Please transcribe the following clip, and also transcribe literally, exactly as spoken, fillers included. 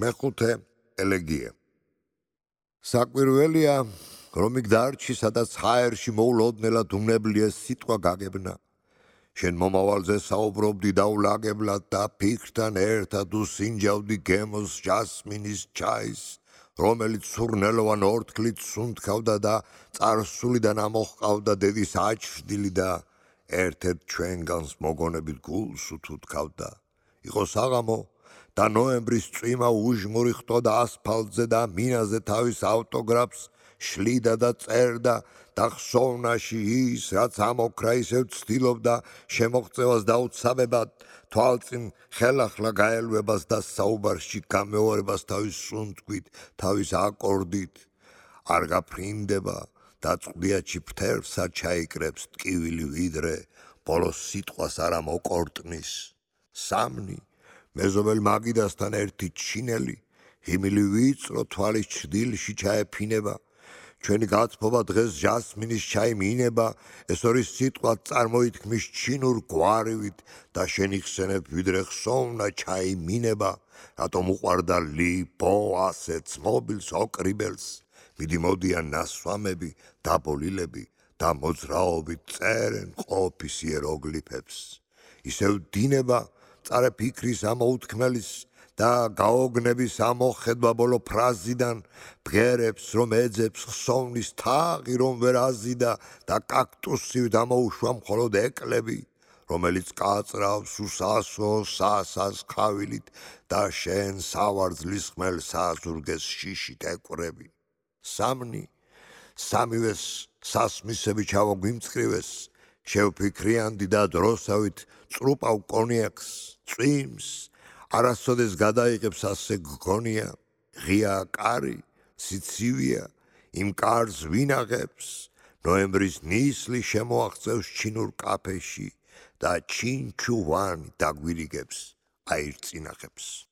მეხუთე ელეგია. საკვირველია, რომ იქ დარჩი, სადაც ჰაერში მოულოდნელად უნებლიეს სიტყვა გაგებნა. შენ მომავალზე საუბრობდი დაულაგებლად და ფიქრთან ერთად უსინჯავდი გემოს ჯასმინის ჩაის, რომელიც სურნელოვან ორთქლით სუნთქავდა და წარსულიდან ამოჰყავდა დედის აჩრდილი და ერთ-ერთ ჩვენგანს მოგონებით გულს უთუთხავდა. იყო საღამო და ნოემბრის წვიმა უჟმური ხტოდა ასფალტზე და მინაზე თავის ავტოგრაფს შლიდა და წერდა და ხსოვნაში ის, რაც ამოქრა ისევ ცდილობდა შემოღწევას დაუცამებად, თვალწინ ხელახლა გაელვებას და საუბარში გამეორებას თავის სუნთქვით, თავის აკორდით. არ გაფრინდება და წყდიაჩი ფრთებსა ჩაიკრებს ტკივილი ვიდრე, ბოლოს სიტყვას არ ამოკორტნის. სამნი, მეზობელ მაგიდასთან ერთი ჩინელი, ჰიმილი ვიწრო თვალის ჩრდილში ჩაეფინება. ჩვენი გაცფობა დღეს ჟასმინის ჩაი მინება, ეს ორი სიტყვა წარმოითქმის ჩინურ გვარივით და შენიხსენებ ვიდრე ხსოვნა ჩაი მინება, რატომ უყვარდა ლი ბო ასე ცმობილს ოკრიბელს, მიდი მოდიან ნასვამები, დაბოლილები და მოძრაობით წერენ ყოფის იეროგლიფებს. ისევ დინება წარე ფიქრის ამოუთქმელის და გაოგნების ამოხედვა ბოლო ფრაზიდან, ბგერებს რომ ეძებს ხსოვნის თაღი რომ ვერ აზიდა და კაქტუსივით ამოუშვა მხოლოდ ეკლები, რომელიც კაწრავს უსასო სასას ხავილით და შენ სავარძლის ხმელ საზურგეს შიშით ეკვრები. სამნი, სამივეს სასმისები ჩავაგვიმწყრივეს, შევფიქრიანდი და დროსავით წრუპავ კონიაკს, წვიმს, არასოდეს გადაიღებს ასე გგონია, ღია კარი, სიცივია, იმ კარს ვინაღებს, ნოემბრის ნისლი შემოაღწევს ჩინურ კაფეში და ჩინჩუვანი დაგვირიგებს აირწინახებს.